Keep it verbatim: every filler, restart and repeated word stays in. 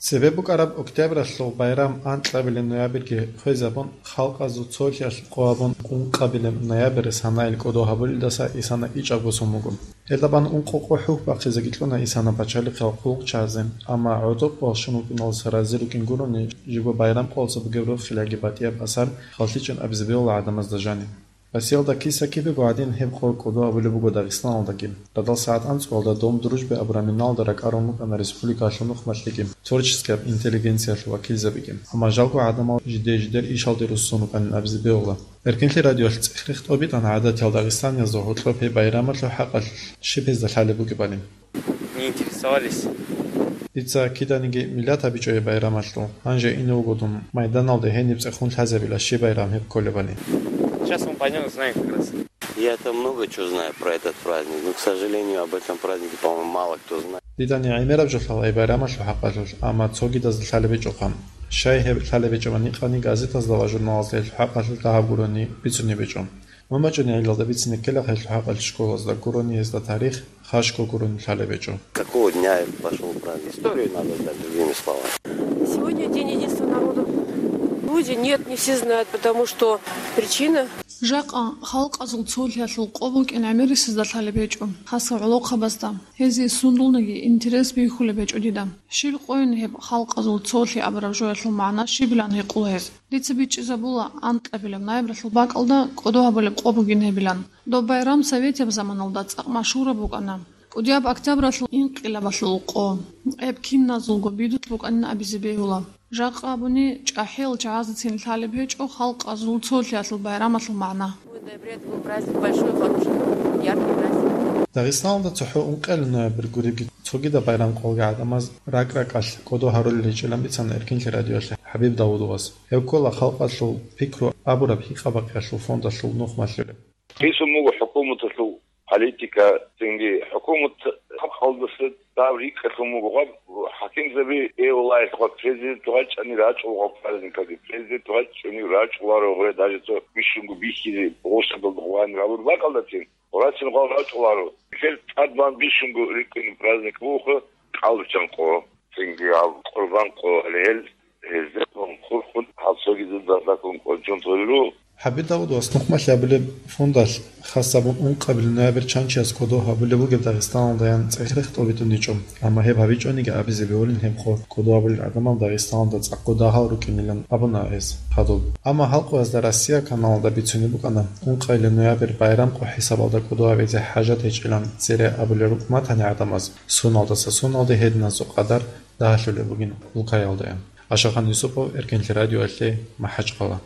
Цебе букӀараб октябралъул байрам анкьабилеб ноябрьги хвезабун, халкъазул цолъиялъ къо гьабун, ункъабилеб ноябрь санаил кӀодо гьабулелдаса исана ичӀабго сон буго. Гьелда бан ункъо къо хӀухь бахъизеги кьуна исана пачалихъал хъулухъчазе, амма гӀодор къо щун вукӀиналдаса рази рукӀин гурони, жибго байрам къоялъ бугеб рохилаги батӀияб асар халлъичӀин абизе бегьула гӀадамазда жаниб. Россиялда киса-кибего гӀадин гьеб къо кӀодо гьабулеб буго Дагъистаналдаги. Радал сагӀат анцӀгоялда Дом дружбы абураб миналда ракӀарун рукӀана республикалъул нухмалъеги, творческияб интеллигенциялъул вакилзабиги. Амма жалго гӀадамал жиде-жидер ишалде руссун рукӀанин абизе бегьула. Эркинлъи радиоялъ цӀех-рех тӀобитӀана гӀадатиял дагъистаниязда гьоркьоб гьеб байрамалъул хӀакъалъулъ щиб гьезда лъалеб бугебали. Не интересовались. Дица киданиги миллат гьабичӀо гьеб байрамалъул. Гьанже ине вуго дун майданалде гьениб цӀехун лъазабила щиб байрам гьеб кколебали. Сейчас мы пойдём узнаем как раз. Я-то много чего знаю про этот праздник, но, к сожалению, об этом празднике, по-моему, мало кто знает. Дидани гӀемераб жо лъала гьеб байрамалъул хӀакъалъулъ, амма цогидазда лъалеб гьечӀоха. Щай гьеб лъалеб гьечӀебани, къани газетазда ва журналазда гьелъул хӀакъалъулъ дагьаб гурони бицунеб гьечӀо. Мун бачӀунеб гӀелалда бицине ккела гьелъул хӀакъалъулъ школазда гурони гьезда тарих, хашго гурони лъалеб гьечӀо. Какого дня это пошёл праздник? Историю надо знать, другими словами. Сегодня день единства народов. Люди нет, не все знают, потому что причина. Жакъа халкъазул цолъиялъул къо букӀин гӀемерисезда лъалеб гьечӀо, хасаб гӀолохъабазда. Гьезие сундулниги интерес бихьулеб гьечӀо дида. Щиб къойин гьеб халкъазул цолъи абураб жоялъул магӀна щибилан гьикъула гьез. Дица бичӀчӀизабула анкьабилеб ноябралъул бакӀалда кӀодо гьабулеб къо бугин гьебилан. Доб байрам советияб заманалда цӀакъ машгьураб букӀана. КӀудияб октябралъул инкъилабалъул къо гьеб киназулго бидулъ букӀанин абизе бегьула. Жакъа абуни, чӀахӀиял чагӀазецин лъалеб гьечӀо халкъазул цолъиялъул байрамалъул магӀна. Ноябрь — это был праздник большой, хороший, яркий праздник. Дагъистаналда цохӀо ункъоялда ноябрь гуребги цогидаб байрам къоялги гӀадамаз ракӀ-ракӀалъ кӀодо гьарулел гьечӀилан бицана Эркинлъи радиоялъе ХӀабиб Давудовас. Гьев ккола халкъалъул пикру абураб гьикъа-бакъиялъул фондалъул нухмалъулеб. Гьесул буго хӀукуматалъул политика, цинги хӀукумат халкъалдаса дагьаб рикӀкӀалъун буго гъаб хӀакимзаби, э, валлагь, гъаб президент вачӀани рачӀула гъаб праздникалде, президент вачӀани рачӀуларо гъуре, даже цо бищунго бихьизе гъосабалда гъвани гьабур бакӀалдацин, гъурацин гъал рачӀуларо. Гьел тӀадбан бищунго рикӀкӀунеб праздник буго кӀалбиччан къо, цинги гьаб къурбан къо, гьале гьел гьезда хурхун гьаб цогидазда дагьаб къо чӀун гьарулел руго. ХӀабиб Давудовас нухмалъи абулеб фондалъ хас гьабун ункъабилеб ноябрь чан чияс кӀодо гьабулеб бугеб Дагъистаналдаян цӀех-рех тӀобитӀун гьечӀо, амма гьеб гьабичӀониги абизе бегьулин гьеб къо кӀодо гьабулел гӀадамал Дагъистаналда цӀакъго дагьал рукӀинилан абуна гьес хадуб. Амма халкъ Оязда Россия каналалда бицунеб букӀана, ункъоялда ноябрь байрам къо хӀисабалда кӀодо гьабизе хӀажат гьечӀилан цере абулел рукӀ матани гӀадамаз, суналдаса суналде гьединасул къадар дагьалъулеб бугин улкаялдаян. Ашахан Юсупов, Эркинлъи радиоялъе, МахӀачкъала.